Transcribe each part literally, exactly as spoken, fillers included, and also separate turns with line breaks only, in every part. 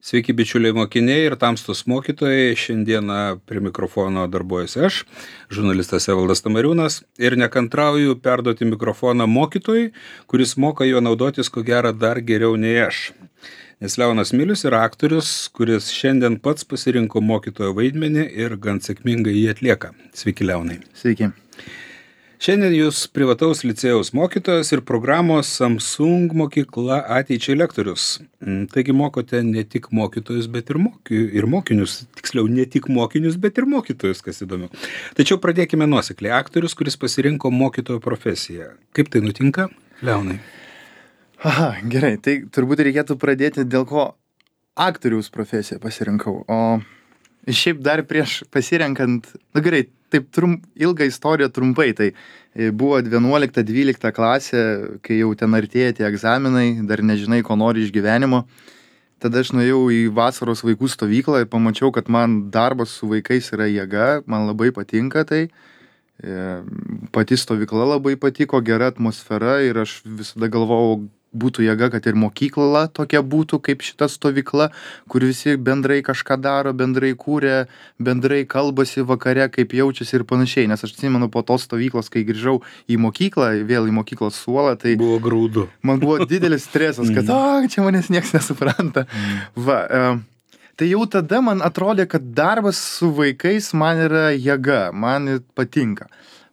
Sveiki, bičiuliai mokiniai ir tamstos mokytojai. Šiandieną prie mikrofono darbuojuosi aš, žurnalistas Evaldas Tamariūnas, ir nekantrauju perduoti mikrofoną mokytojui, kuris moka juo naudotis ko gero dar geriau nei aš. Nes Leonas Milius yra aktorius, kuris šiandien pats pasirinko mokytojo vaidmenį ir gan sėkmingai jį atlieka. Sveiki, Leonai.
Sveiki.
Šiandien jūs privataus licėjaus mokytojas ir programos Samsung mokykla ateičiai lektorius. Taigi mokote ne tik mokytojus, bet ir, moky, ir mokinius. Tiksliau, ne tik mokinius, bet ir mokytojus, kas įdomu. Tačiau pradėkime nuosekliai. Aktorius, kuris pasirinko mokytojo profesiją. Kaip tai nutinka, Leonai?
Aha, gerai. Tai turbūt reikėtų pradėti, dėl ko aktoriaus profesiją pasirinkau. O šiaip dar prieš pasirenkant, na gerai, taip trum, ilgą istoriją trumpai, tai buvo vienuolikta dvylikta klasė, kai jau ten artėja tie egzaminai, dar nežinai, ko nori iš gyvenimo. Tada aš nuėjau į vasaros vaikų stovyklą ir pamačiau, kad man darbas su vaikais yra jėga, man labai patinka tai. Pati stovykla labai patiko, gera atmosfera ir aš visada galvojau, būtų jėga, kad ir mokykla tokia būtų kaip šita stovykla, kur visi bendrai kažką daro, bendrai kūrė, bendrai kalbasi vakare, kaip jaučiasi ir panašiai. Nes aš atsimenu po tos stovyklos, kai grįžau į mokyklą, vėl į mokyklos suolą, tai
buvo graudu.
Man buvo didelis stresas, kad o, čia manęs niekas nesupranta. Va, e, tai jau tada man atrodė, kad darbas su vaikais man yra jėga, man patinka.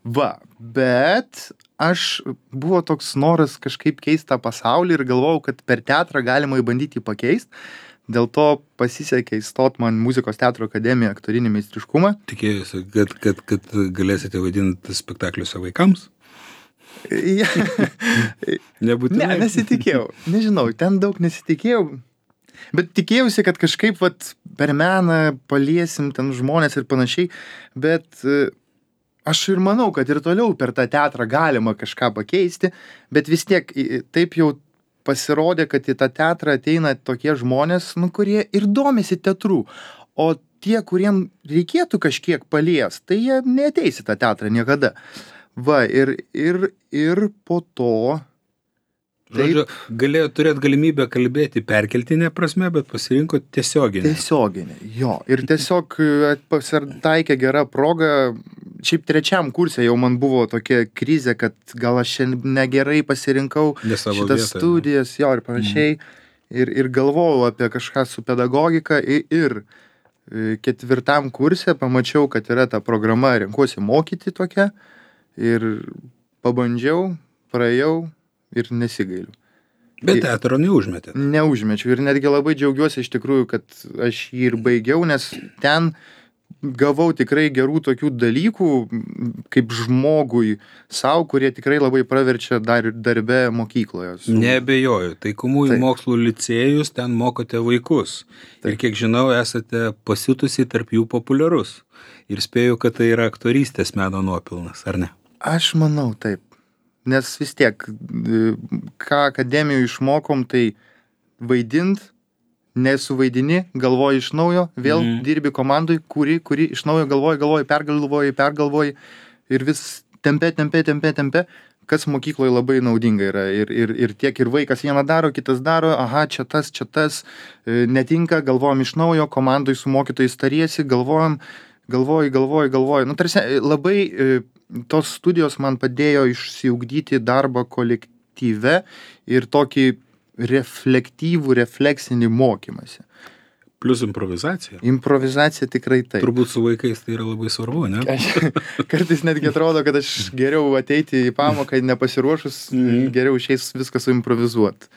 Va, bet aš buvo toks noras kažkaip keisti tą pasaulį ir galvojau, kad per teatrą galima įbandyti pakeisti. Dėl to pasisekė įstot man muzikos teatro akademiją aktorinį meistriškumą.
Tikėjusi, kad, kad, kad galėsite vaidinti spektakliuose vaikams?
Ja.
Nebūtinai.
Ne, nesitikėjau. Nežinau, ten daug nesitikėjau. Bet tikėjausi, kad kažkaip vat, per meną paliesim ten žmonės ir panašiai. Bet aš ir manau, kad ir toliau per tą teatrą galima kažką pakeisti, bet vis tiek taip jau pasirodė, kad į tą teatrą ateina tokie žmonės, nu, kurie ir domisi teatru. O tie, kuriem reikėtų kažkiek palies, tai jie neateis į tą teatrą niekada. Va, ir, ir, ir po to...
Žodžiu, galėjo turėti galimybę kalbėti perkeltinė prasme, bet pasirinko tiesioginę.
Tiesioginę, jo. Ir tiesiog pasitaikė gera proga. Šiaip trečiam kurse jau man buvo tokia krizė, kad gal aš negerai pasirinkau šitas vietą, studijas, jo, ir panašiai. Mm. Ir, ir galvojau apie kažką su pedagogika. Ir, ir ketvirtam kurse pamačiau, kad yra ta programa Renkuosi mokyti tokia. Ir pabandžiau, praėjau. Ir nesigailiu.
Bet teatro neužmetė.
Neužmečiau ir netgi labai džiaugiuosi iš tikrųjų, kad aš jį ir baigiau, nes ten gavau tikrai gerų tokių dalykų kaip žmogui savo, kurie tikrai labai praverčia dar, darbe mokykloje. Su...
Neabejoju, taikomųjų mokslų licėjus, ten mokote vaikus. Taip. Ir kiek žinau, esate pasitusi tarp jų populiarus. Ir spėju, kad tai yra aktorystės meno nuopilnas, ar ne?
Aš manau, taip. Nes vis tiek, ką akademijoje išmokom, tai vaidint, nesuvaidini, galvoji iš naujo, vėl mm. dirbi komandai, kuri, kuri iš naujo galvoji, galvoji, pergalvoji, pergalvoji ir vis tempe, tempe, tempe, tempe, kas mokykloje labai naudinga yra. Ir, ir, ir tiek ir vaikas vieną daro, kitas daro, aha, čia tas, čia tas, netinka, galvojam iš naujo, komandai su mokytojais tariesi, galvojam, galvoji, galvoji, galvoji. Nu, tarsi labai... Tos studijos man padėjo išsiugdyti darbą kolektyve ir tokį reflektyvų, refleksinį mokymąsi.
Plus improvizacija.
Improvizacija tikrai taip.
Turbūt su vaikais tai yra labai svarbu, ne?
Aš, kartais netgi atrodo, kad aš geriau ateiti į pamoką nepasiruošus, mm. geriau išeis viską suimprovizuot.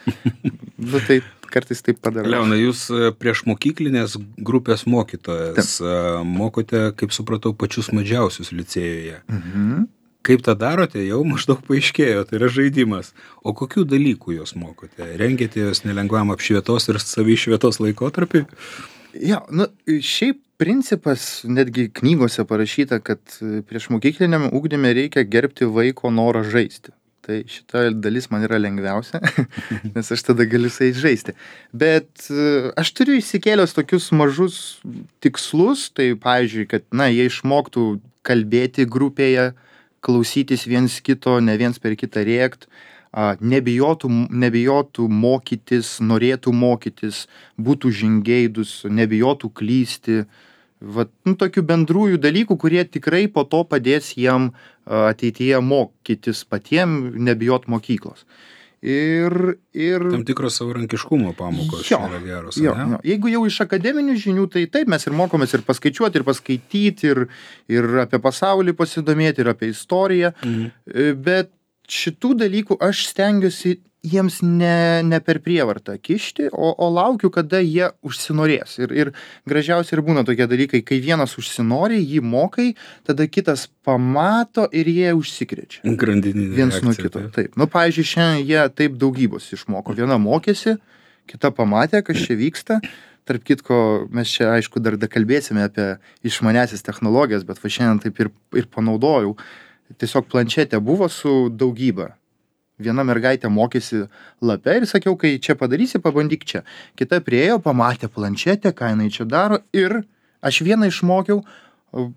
Nu, tai kartais taip padarau.
Leona, jūs prieš mokyklinės grupės mokytojas taip. Mokote, kaip supratau, pačius mažiausius licėjoje. Mhm. Kaip tą darote, jau maždaug paaiškėjo, tai yra žaidimas. O kokių dalykų jūs mokote? Rengėte jūs nelengvam apšvietos ir savišvietos laikotarpį?
Ja, nu, šiaip principas netgi knygose parašyta, kad prieš mokykliniam ugdyme reikia gerbti vaiko norą žaisti. Tai šita dalis man yra lengviausia, nes aš tada galiu su jais žaisti. Bet aš turiu išsikėlęs tokius mažus tikslus, tai pavyzdžiui, kad na, jie išmoktų kalbėti grupėje, klausytis viens kito, ne viens per kitą rėkt, a, nebijotų, nebijotų mokytis, norėtų mokytis, būtų žingeidus, nebijotų klysti. Vat, nu, tokių bendrųjų dalykų, kurie tikrai po to padės jiem a, ateityje mokytis patiem, nebijot mokyklos. Ir, ir...
Tam tikros savarankiškumo pamokos
jo,
yra geros.
Jo, jo. Jeigu jau iš akademinių žinių, tai taip, mes ir mokomės ir paskaičiuoti, ir paskaityti, ir, ir apie pasaulį pasidomėti, ir apie istoriją. Mhm. Bet šitų dalykų aš stengiuosi jiems ne, ne per prievartą kišti, o, o laukiu, kada jie užsinorės. Ir, ir gražiausia ir būna tokie dalykai, kai vienas užsinori, jį mokai, tada kitas pamato ir jie užsikrečia.
Grandininė
Viens
reakcija,
nuo kito.
taip.
Taip. Nu, pavyzdžiui, šiandien jie taip daugybos išmoko. Viena mokėsi, kita pamatė, kas čia vyksta. Tarp kitko, mes čia, aišku, dar kalbėsime apie išmanesias technologijas, bet va šiandien taip ir, ir panaudojau. Tiesiog planšetė buvo su daugybė. Viena mergaitė mokėsi lape ir sakiau, kai čia padarysi, pabandyk čia. Kita priejo, pamatė planšetę, ką jinai čia daro ir aš vieną išmokiau,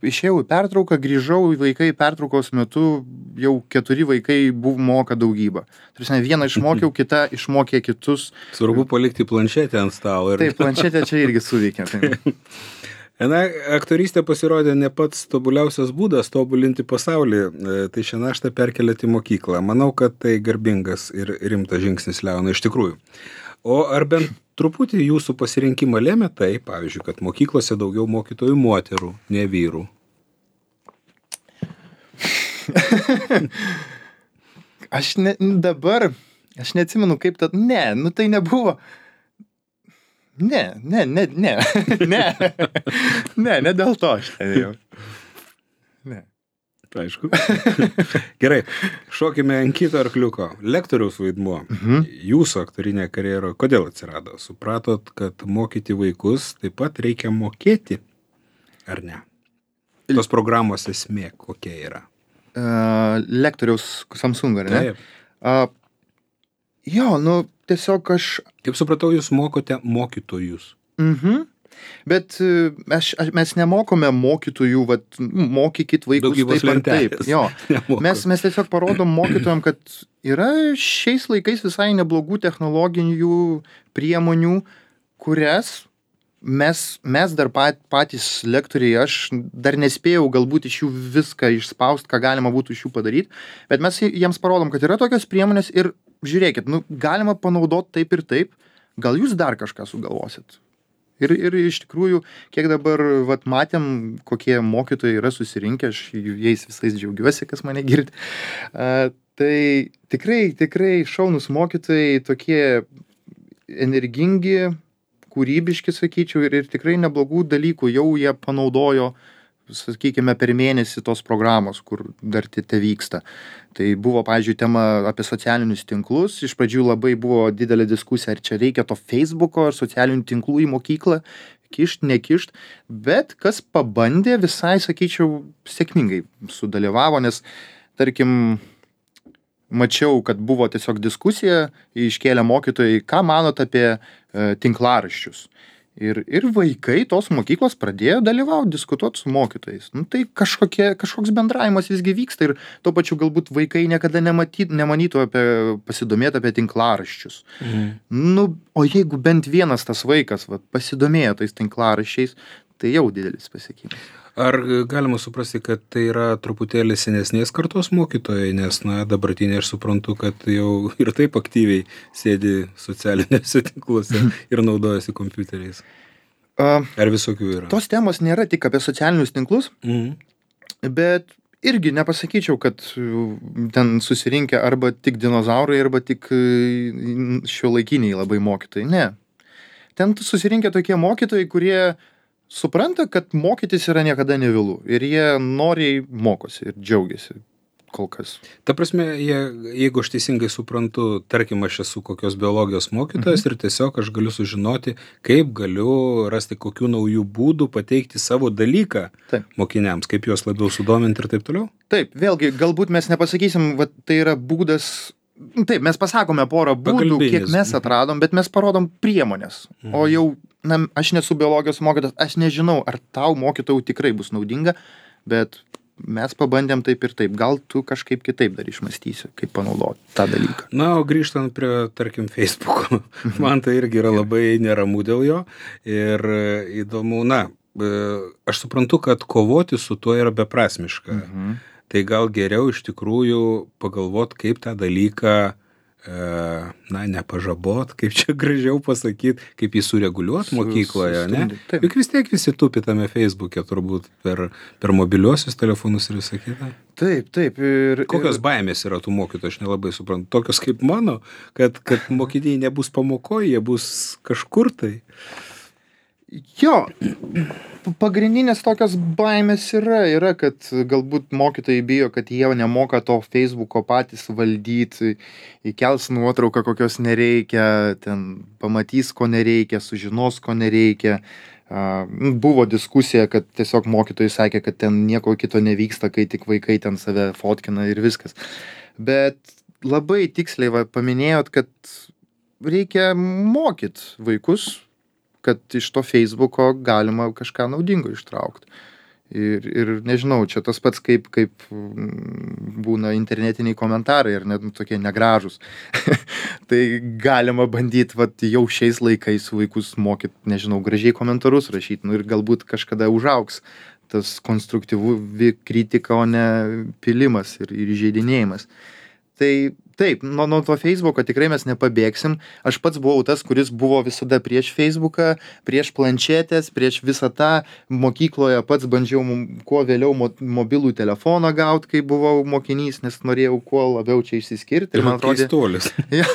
išėjau į pertrauką, grįžau, vaikai pertraukos metu, jau keturi vaikai buvo moka daugybą. Tarsi vieną išmokiau, kita išmokė kitus.
Svarbu palikti planšetę ant stalo. Ir...
Taip, planšetė čia irgi suveikia. Tai.
Na, aktorystė pasirodė ne pats tobuliausias būdas tobulinti pasaulį, tai šią naštą perkeliate į mokyklą. Manau, kad tai garbingas ir rimtas žingsnis, Leonai, iš tikrųjų. O ar bent truputį jūsų pasirinkimą lėmė tai, pavyzdžiui, kad mokyklose daugiau mokytojų moterų, ne vyrų?
Aš ne, dabar, aš neatsimenu kaip tad, ne, nu tai nebuvo. Ne, ne, ne, ne, ne, ne, ne dėl to aš ten jau. Ne.
Aišku. Gerai, šokime ant kito arkliuko. Lektoriaus vaidmuo. Mhm. Jūsų aktorinė karjera, kodėl atsirado? Supratot, kad mokyti vaikus taip pat reikia mokėti, ar ne? Tos programos esmė kokia yra?
Uh, lektoriaus Samsung, ar ne?
Taip.
Uh, jo, nu, tiesiog aš...
Kaip supratau, jūs mokote mokytojus.
Mhm. Bet aš, aš, mes nemokome mokytojų, vat, mokykit vaikus
Daugybos
taip ar taip.
lentelės.
Jo.
Nemoko.
Mes, mes tiesiog parodom mokytojam, kad yra šiais laikais visai neblogų technologinių priemonių, kurias mes, mes dar pat, patys lektoriai, aš dar nespėjau galbūt iš jų viską išspaust, ką galima būtų iš jų padaryti, bet mes jiems parodom, kad yra tokios priemonės ir žiūrėkit, nu, galima panaudoti taip ir taip, gal jūs dar kažką sugalvosit. Ir, ir iš tikrųjų, kiek dabar vat, matėm, kokie mokytojai yra susirinkę, aš jais visais džiaugiuosi, kas mane girdi. Uh, tai tikrai, tikrai šaunus mokytojai, tokie energingi, kūrybiški, sakyčiau, ir, ir tikrai neblogų dalykų jau jie panaudojo, sakykime, per mėnesį tos programos, kur dar te vyksta. Tai buvo, pavyzdžiui, tema apie socialinius tinklus. Iš pradžių labai buvo didelė diskusija, ar čia reikia to Facebooko ar socialinių tinklų į mokyklą, kišt, nekišt. Bet kas pabandė, visai, sakyčiau, sėkmingai sudalyvavo, nes, tarkim, mačiau, kad buvo tiesiog diskusija, iškėlė mokytojai, ką manot apie e, tinklaraščius. Ir, ir vaikai tos mokyklos pradėjo dalyvauti, diskutuoti su mokytojais. Nu, tai kažkokie, kažkoks bendravimas visgi vyksta ir tuo pačiu galbūt vaikai niekada nematyt, nemanytų apie, pasidomėti apie tinklaraščius. Mhm. Nu, o jeigu bent vienas tas vaikas va, pasidomėjo tais tinklaraščiais, tai jau didelis pasiekimas.
Ar galima suprasti, kad tai yra truputėlį senesnės kartos mokytojai, nes, na, dabartinė aš suprantu, kad jau ir taip aktyviai sėdi socialiniuose tinkluose ir naudojasi kompiuteriais. Ar visokių yra?
Tos temos nėra tik apie socialinius tinklus, mhm. bet irgi nepasakyčiau, kad ten susirinkę arba tik dinozaurai, arba tik šiuolaikiniai labai mokytojai. Ne. Ten susirinkę tokie mokytojai, kurie supranta, kad mokytis yra niekada nevėlu ir jie noriai mokosi ir džiaugiasi kol kas.
Ta prasme, jie, jeigu aš teisingai suprantu, tarkim, aš esu kokios biologijos mokytojas mhm. ir tiesiog aš galiu sužinoti, kaip galiu rasti kokių naujų būdų pateikti savo dalyką taip. Mokiniams, kaip juos labiau sudominti ir taip toliau?
Taip, vėlgi, galbūt mes nepasakysim, va, tai yra būdas. Taip, mes pasakome porą būdų, kiek mes atradom, bet mes parodom priemonės. Mhm. O jau, na, aš nesu biologijos mokytojas, aš nežinau, ar tau mokytojų tikrai bus naudinga, bet mes pabandėm taip ir taip, gal tu kažkaip kitaip dar išmąstysi, kaip panaudoti tą dalyką.
Na, o grįžtant prie, tarkim, Facebook'o, man tai irgi yra labai neramu dėl jo ir įdomu, na, aš suprantu, kad kovoti su tuo yra beprasmiška. Mhm. Tai gal geriau iš tikrųjų pagalvot, kaip tą dalyką, na, nepažabot, kaip čia gražiau pasakyti, kaip jį sureguliuoti mokykloje, ne? Taip. Juk vis tiek visi tupi tame Facebook'e, turbūt per, per mobiliuosius telefonus ir visą kitą.
Taip, taip. Ir,
Kokios
ir...
baimės yra tų mokytojų, aš nelabai suprantu. Tokios kaip mano, kad, kad mokiniai nebus pamokoje, jie bus kažkur tai.
Jo, pagrindinės tokios baimės yra, yra, kad galbūt mokytojai bijo, kad jie nemoka to Facebook'o patys valdyti, įkels nuotrauką, kokios nereikia, ten pamatys, ko nereikia, sužinos, ko nereikia. Buvo diskusija, kad tiesiog mokytojai sakė, kad ten nieko kito nevyksta, kai tik vaikai ten save fotkina ir viskas. Bet labai tiksliai va, paminėjot, kad reikia mokyt vaikus, kad iš to Facebook'o galima kažką naudingo ištraukti. Ir, ir nežinau, čia tas pats kaip, kaip būna internetiniai komentarai ir net tokie negražus. Tai galima bandyti vat, jau šiais laikais vaikus mokyti, nežinau, gražiai komentarus rašyti, nu ir galbūt kažkada užaugs tas konstruktyvi kritika, o ne pilimas ir, ir įžeidinėjimas. Tai taip, nuo, nuo to Facebook'o tikrai mes nepabėgsim. Aš pats buvau tas, kuris buvo visada prieš Facebook'ą, prieš planšetės, prieš visą tą. Mokykloje pats bandžiau kuo vėliau mo, mobilų telefoną gauti, kai buvau mokinys, nes norėjau kuo labiau čia išsiskirti.
Ir man atrodė... Keistuolis.
Ja,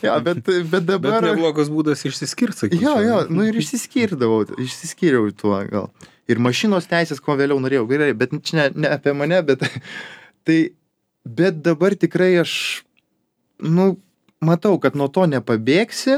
ja, bet, bet dabar...
Bet neblogas būdas išsiskirti, sakyčiau.
Jo, jo, nu ir išsiskirdavau, išsiskyriau tuo gal. Ir mašinos teisės kuo vėliau norėjau. Gerai, bet čia ne, ne apie mane, bet... tai... Bet dabar tikrai aš, nu, matau, kad nuo to nepabėgsi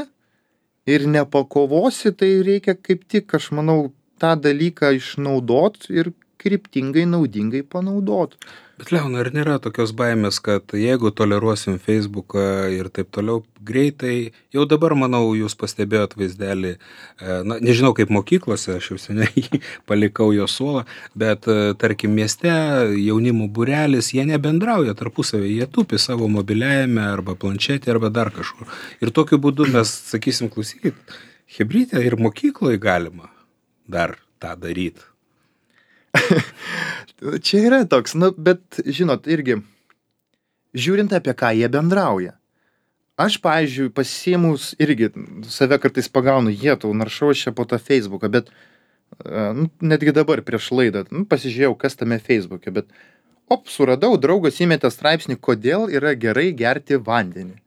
ir nepakovosi, tai reikia kaip tik, aš manau, tą dalyką išnaudot ir kryptingai, naudingai panaudot.
Bet Leonai, ar nėra tokios baimės, kad jeigu toleruosim Facebooką ir taip toliau, greitai, jau dabar, manau, jūs pastebėjot vaizdelį, na, nežinau kaip mokyklose, aš jau seniai palikau jo suolą, bet, tarkim, mieste jaunimo būrelis, jie nebendrauja tarpusavį, jie tupi savo mobiliajame arba planšetė arba dar kažkur. Ir tokiu būdu mes, sakysim, klausykit, chebrytė ir mokykloje galima dar tą daryti.
Čia yra toks, nu, bet, žinot, irgi, žiūrint apie ką jie bendrauja. Aš, pavyzdžiui, pasiėmus irgi save kartais pagaunu, jie tau naršau čia po tą Facebooką, bet nu, netgi dabar prieš laidą, nu, pasižiūrėjau, kas tame Facebook'e, bet op, suradau, draugas įmetė straipsnį, kodėl yra gerai gerti vandenį.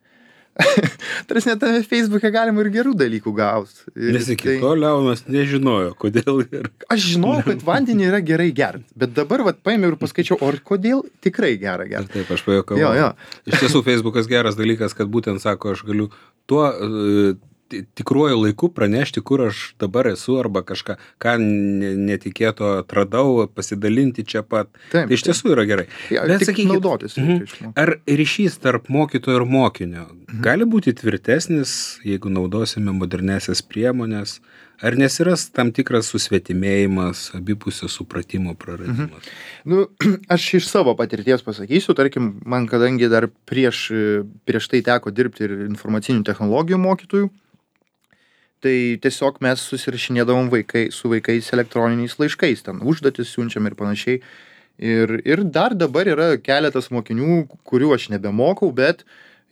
Tarsi net tame Facebook'e galima ir gerų dalykų gauti.
Nes iki to Leonas nežinojo, kodėl yra.
Aš žinojau, kad vandenį yra gerai gerti, bet dabar vat paėmiau ir paskaičiau, o kodėl tikrai gera gerti.
Taip, aš pajuokavau.
Jo, jo.
Iš tiesų, Facebook'as geras dalykas, kad būtent sako, aš galiu tuo uh, tikruoju laiku pranešti, kur aš dabar esu arba kažką, ką netikėto atradau, pasidalinti čia pat.
Taip,
tai iš tiesų yra gerai.
Ja, bet sakykit, naudotis.
Mhm. Ar ryšys tarp mokytojo ir mokinio mhm. gali būti tvirtesnis, jeigu naudosime modernesias priemonės? Ar nesiras tam tikras susvetimėjimas, abipusio supratimo praradimas?
Mhm. Nu, aš iš savo patirties pasakysiu, tarkim, man kadangi dar prieš, prieš tai teko dirbti ir informacinių technologijų mokytojų, tai tiesiog mes susirašinėdavom vaikai, su vaikais elektroniniais laiškais, ten užduotis siunčiam ir panašiai. Ir, ir dar dabar yra keletas mokinių, kurių aš nebemokau, bet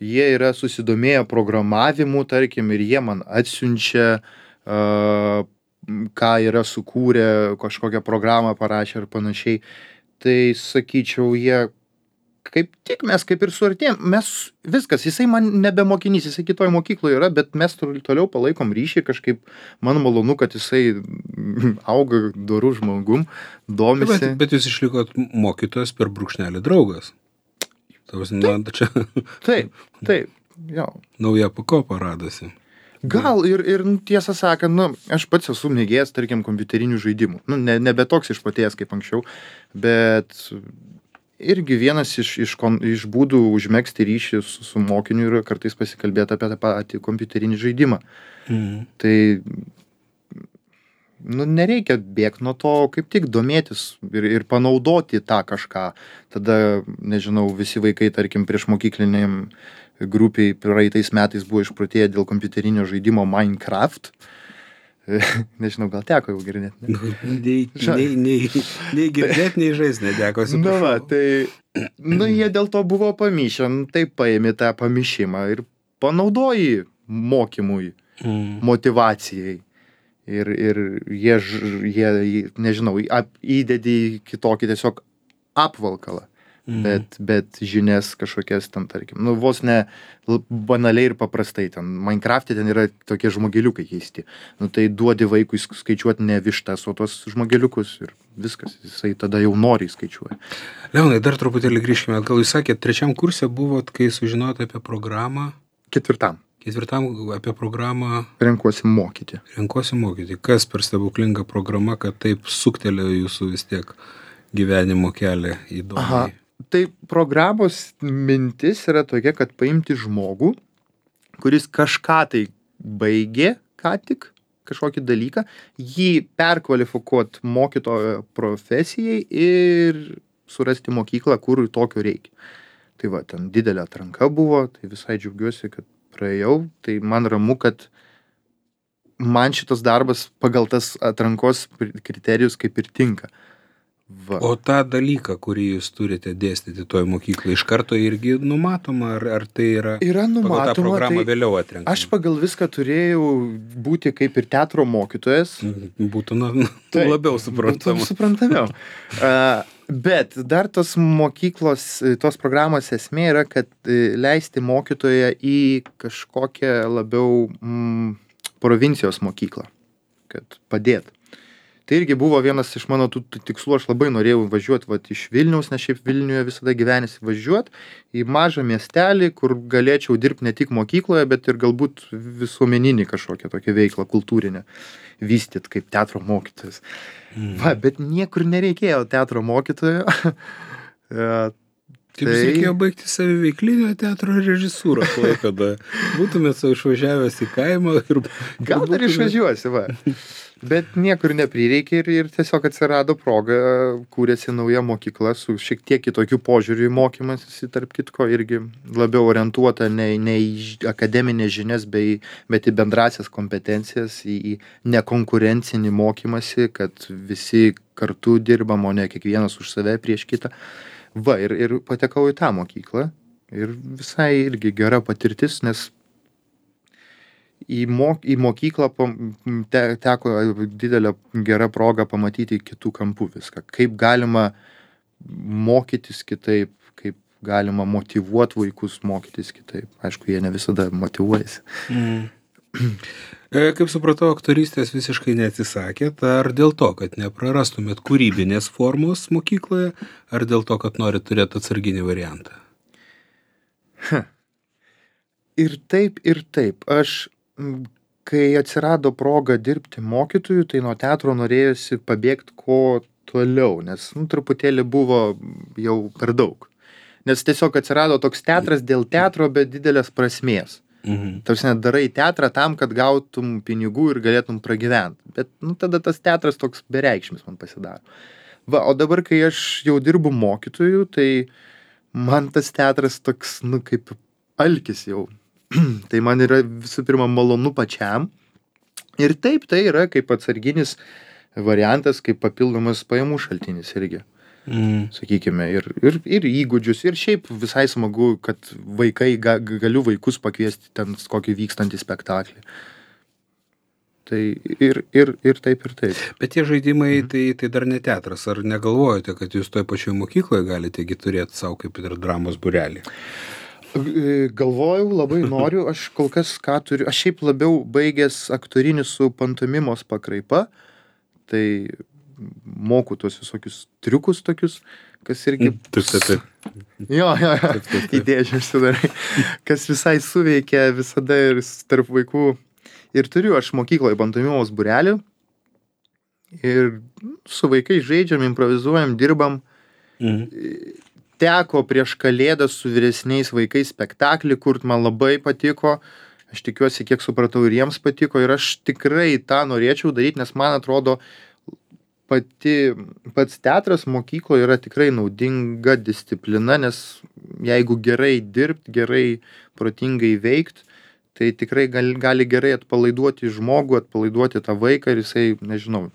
jie yra susidomėję programavimu, tarkim, ir jie man atsiunčia, uh, ką yra sukūrę, kažkokią programą parašę ir panašiai. Tai sakyčiau, jie kaip tik mes kaip ir suartėjom, mes viskas, jisai man nebemokinys, jisai kitoj mokykloje yra, bet mes toliau palaikom ryšį, kažkaip man malonu, kad jisai auga dorų žmogum, domisi.
Bet, bet jūs išlikot mokytojas per brūkšnelį draugas. Tavas, na, čia...
Taip, taip, jo.
Nauja pakopa radosi.
Gal ir, ir tiesą sakant, nu, aš pats esu mėgėjęs, tarkim, kompiuterinių žaidimų. Nu, ne, nebe toks išpatėjęs kaip anksčiau, bet irgi vienas iš, iš, iš būdų užmegzti ryšį su, su mokiniu yra kartais pasikalbėti apie tą patį kompiuterinį žaidimą. Mhm. Tai nu, nereikia bėgti nuo to, kaip tik domėtis ir, ir panaudoti tą kažką. Tada, nežinau, visi vaikai, tarkim, prieš mokykliniam grupiai praeitais metais buvo išprotėję dėl kompiuterinio žaidimo Minecraft. Nežinau, gal teko jau girdėti. Ne?
Nei, nei, nei, nei girdėti, nei žaisti neteko.
Na, va, tai, nu, jie dėl to buvo pamišę, nu, tai paėmė tą pamišimą ir panaudoji mokymui, mm. motyvacijai. Ir, ir jie, jie, nežinau, ap, įdedi kitokį tiesiog apvalkalą. Mm. Bet, bet žinias kažkokias ten, tarkim, nu, vos ne banaliai ir paprastai ten. Minecraft'e ten yra tokie žmogeliukai keisti. Nu, tai duodi vaikui skaičiuoti ne vištas, o tos žmogeliukus ir viskas. Jisai tada jau noriai skaičiuoja.
Leonai, dar truputėlį grįžkime. Gal jūs sakėt, trečiam kurse buvot, kai sužinojote apie programą?
Ketvirtam.
Ketvirtam apie programą.
Renkuosi mokyti.
Renkuosi mokyti. Kas per stebuklinga programa, kad taip suktelėjo jūsų vis tiek gyvenimo kelią įdomiai?
Aha. Tai programos mintis yra tokia, kad paimti žmogų, kuris kažką tai baigė, ką tik, kažkokį dalyką, jį perkvalifikuoti mokytojo profesijai ir surasti mokyklą, kur tokio reikia. Tai va, ten didelė atranka buvo, tai visai džiaugiuosi, kad praėjau, tai man ramu, kad man šitas darbas pagal tas atrankos kriterijus kaip ir tinka. Va.
O tą dalyką, kurį jūs turite dėstyti toj mokyklai, iš karto irgi numatoma, ar, ar tai yra,
yra numatoma,
pagal tą programą
tai
vėliau atrenkama?
Aš pagal viską turėjau būti kaip ir teatro mokytojas.
Būtų na, tai, labiau suprantama.
Būtų suprantamiau. uh, bet dar tos mokyklos, tos programos esmė yra, kad leisti mokytoją į kažkokią labiau mm, provincijos mokyklą, kad padėt. Tai irgi buvo vienas iš mano tų tikslų, aš labai norėjau važiuoti vat, iš Vilniaus, nes šiaip Vilniuje visada gyvenėsi važiuoti į mažą miestelį, kur galėčiau dirbti ne tik mokykloje, bet ir galbūt visuomeninį kažkokią tokią veiklą, kultūrinę, vystyti kaip teatro mokytojas. Mm. Va, bet niekur nereikėjo teatro mokytojo.
Taip, tai reikėjo baigti saviveiklinio teatro režisūrą, kada būtumėt savo išvažiavęs į kaimą. Ir,
gal dar išvažiuosi, va. Bet niekur neprireikė ir, ir tiesiog atsirado proga, kūrėsi nauja mokykla su šiek tiek kitokiu požiūriu į mokymąsi, tarp kitko, irgi labiau orientuota ne, ne į akademinės žinias, bei, bet į bendrasias kompetencijas, į, į nekonkurencinį mokymąsi, kad visi kartu dirbam, o ne kiekvienas už save prieš kitą. Va, ir, ir patekau į tą mokyklą ir visai irgi gera patirtis, nes į, mok, į mokyklą te, teko didelė gera proga pamatyti kitų kampų viską. Kaip galima mokytis kitaip, kaip galima motyvuoti vaikus mokytis kitaip. Aišku, jie ne visada motyvuojasi.
Mm. Kaip supratau, aktorystės visiškai neatsisakėt, ar dėl to, kad neprarastumėt kūrybinės formos mokykloje, ar dėl to, kad norit turėti atsarginį variantą?
Ir taip, ir taip. Aš, kai atsirado proga dirbti mokytojų, tai nuo teatro norėjosi pabėgti kuo toliau, nes nu, truputėlį buvo jau per daug. Nes tiesiog atsirado toks teatras dėl teatro, bet didelės prasmės. Mhm. Tarsi darai teatrą tam, kad gautum pinigų ir galėtum pragyventi. Bet nu, tada tas teatras toks bereikšmis man pasidaro. Va, o dabar, kai aš jau dirbu mokytojų, tai man tas teatras toks, nu, kaip alkis jau. Tai man yra visų pirma malonu pačiam. Ir taip, tai yra kaip atsarginis variantas, kaip papildomas pajamų šaltinis irgi. Mm. Sakykime, ir, ir, ir įgūdžius, ir šiaip visai smagu, kad vaikai, ga, galiu vaikus pakviesti ten kokį vykstantį spektaklį. Tai ir, ir, ir taip, ir taip.
Bet tie žaidimai, mm. tai, tai dar ne teatras. Ar negalvojate, kad jūs toj pačioj mokykloje galite turėti savo kaip ir dramos būrelį?
Galvojau, labai noriu, aš kol kas ką turiu, aš šiaip labiau baigęs aktorinį su pantomimos pakraipa, tai moku tuos visokius triukus tokius, kas irgi...
Taip, taip, taip.
Jo, jo, jo, idėžių sudarai, kas visai suveikia visada ir tarp vaikų. Ir turiu aš mokykloje pantomimos būrelį ir su vaikais žaidžiam, improvizuojam, dirbam. Mhm. Teko prieš kalėdas su vyresniais vaikais spektaklį, kur man labai patiko Aš tikiuosi, kiek supratau, ir jiems patiko ir aš tikrai tą norėčiau daryti, nes man atrodo, pati, pats teatras mokykloje yra tikrai naudinga disciplina, nes jeigu gerai dirbt, gerai protingai veikt, tai tikrai gali, gali gerai atpalaiduoti žmogų, atpalaiduoti tą vaiką ir jisai, nežinau,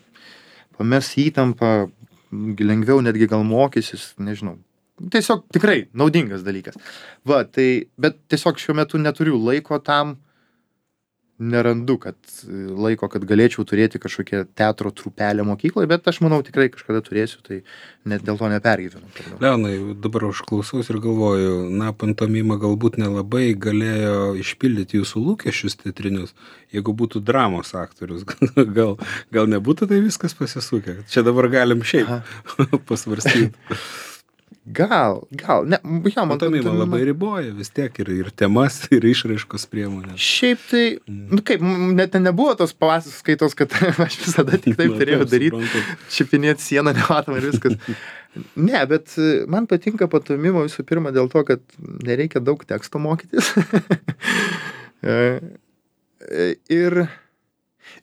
pames įtampą, lengviau netgi gal mokysis, nežinau. Tiesiog tikrai naudingas dalykas. Va, tai, bet tiesiog šiuo metu neturiu laiko tam, nerandu, kad laiko, kad galėčiau turėti kažkokią teatro trupelę mokykloje, bet aš manau tikrai kažkada turėsiu, tai net dėl to nepergyvenu.
Leonai, dabar aš klausaus ir galvoju, na, pantomima galbūt nelabai galėjo išpildyti jūsų lūkesčius teatrinius, jeigu būtų dramos aktorius, gal, gal nebūtų tai viskas pasisukę. Čia dabar galim šiaip pasvarstyti.
Gal, gal, ne, jo, man
pantomima labai riboja vis tiek ir, ir temas, ir išraiškos priemonės.
Šiaip tai, nu kaip, net nebuvo tos paskaitos, kad aš visada tik taip turėjau daryti, čipinėti sieną nematomą ir viskas. Ne, bet man patinka pantomima visų pirma dėl to, kad nereikia daug teksto mokytis. ir,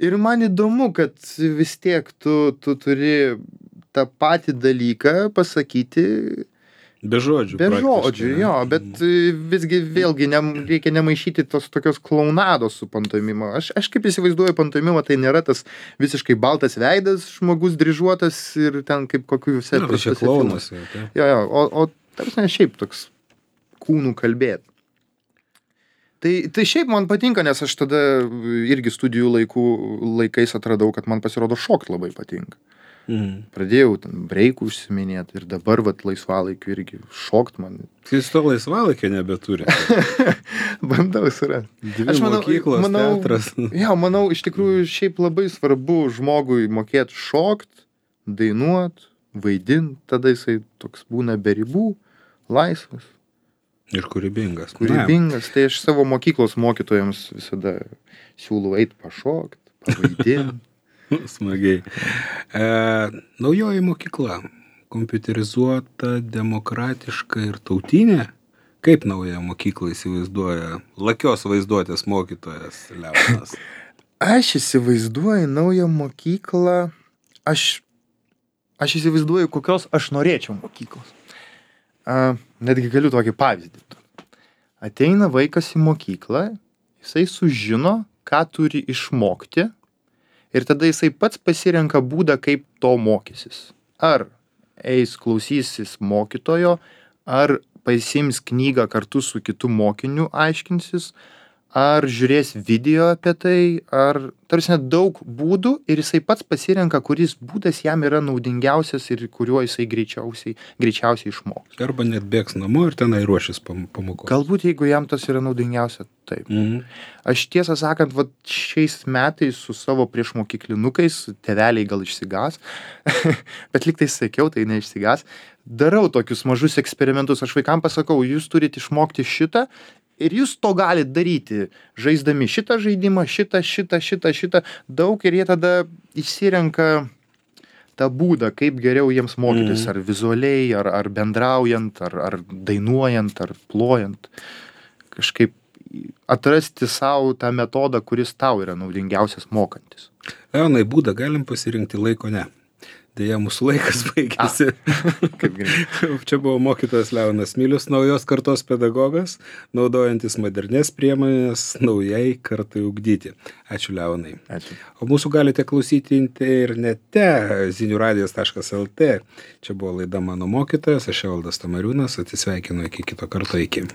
ir man įdomu, kad vis tiek tu, tu turi tą patį dalyką pasakyti
be žodžių.
Be žodžių, jo, bet visgi vėlgi ne, reikia nemaišyti tos tokios klaunados su pantomima. Aš, aš kaip įsivaizduoju pantomimą, tai nėra tas visiškai baltas veidas, žmogus dryžuotas ir ten kaip kokiuose...
Na, tai čia klaunas.
Jo, jo, o, o tarsi ne šiaip toks kūnų kalbėt. Tai, tai šiaip man patinka, nes aš tada irgi studijų laikų, laikais atradau, kad man pasirodo šokt labai patinka.
Mm.
Pradėjau ten breikų užsiminėti ir dabar vat laisvalaikiu irgi šokt man.
Tai jūs to laisvalaikio nebeturi.
Bandau surasti.
Dvi mokyklos, manau, teatras.
Jo, manau, iš tikrųjų šiaip labai svarbu žmogui mokėt šokt, dainuot, vaidint, tada jisai toks būna be ribų, laisvas.
Ir kūrybingas.
Kūrybingas, tai aš savo mokyklos mokytojams visada siūlau eit pašokt, pavaidint.
Smagiai. E, naujoji mokykla, kompiuterizuota, demokratiška ir tautinė. Kaip naują mokyklą įsivaizduoja lakios vaizduotės mokytojas Leonas?
Aš įsivaizduoju naują mokyklą, aš, aš įsivaizduoju, kokios aš norėčiau mokyklos. A, netgi galiu tokį pavyzdį. Ateina vaikas į mokyklą, jisai sužino, ką turi išmokti, ir tada jisai pats pasirenka būdą, kaip to mokysis. Ar eis klausysis mokytojo, ar pasiims knygą kartu su kitu mokiniu aiškinsis, ar žiūrės video apie tai, ar tarsi daug būdų ir jisai pats pasirenka, kuris būdas jam yra naudingiausias ir kuriuo jisai greičiausiai, greičiausiai išmoks.
Arba net bėgs namo ir tenai ruošis pamokos.
Galbūt, jeigu jam tas yra naudingiausia, taip.
Mhm.
Aš tiesą sakant, vat, šiais metais su savo priešmokyklinukais, tėveliai gal išsigas, bet lyg tai sakiau, tai neišsigas, darau tokius mažus eksperimentus. Aš vaikam pasakau, jūs turite išmokti šitą ir jūs to galite daryti, žaisdami šitą žaidimą, šitą, šitą, šitą, šitą, daug ir jie tada išsirenka tą būdą, kaip geriau jiems mokytis,
Mhm.
ar vizualiai, ar, ar bendraujant, ar, ar dainuojant, ar plojant. Kažkaip atrasti savo tą metodą, kuris tau yra naudingiausias mokantis.
Leonai, būdą galim pasirinkti, laiko ne. Deja, mūsų laikas baigėsi.
Kaip gerai.
Čia buvo mokytojas Leonas Milius, naujos kartos pedagogas, naudojantis modernės priemonės naujai kartai ugdyti. Ačiū, Leonai.
Ačiū.
O mūsų galite klausyti internete zinių radijas taškas el tė. Čia buvo laida Mano mokytojas, aš Evaldas Tamariūnas, atsisveikinu iki kito karto, iki.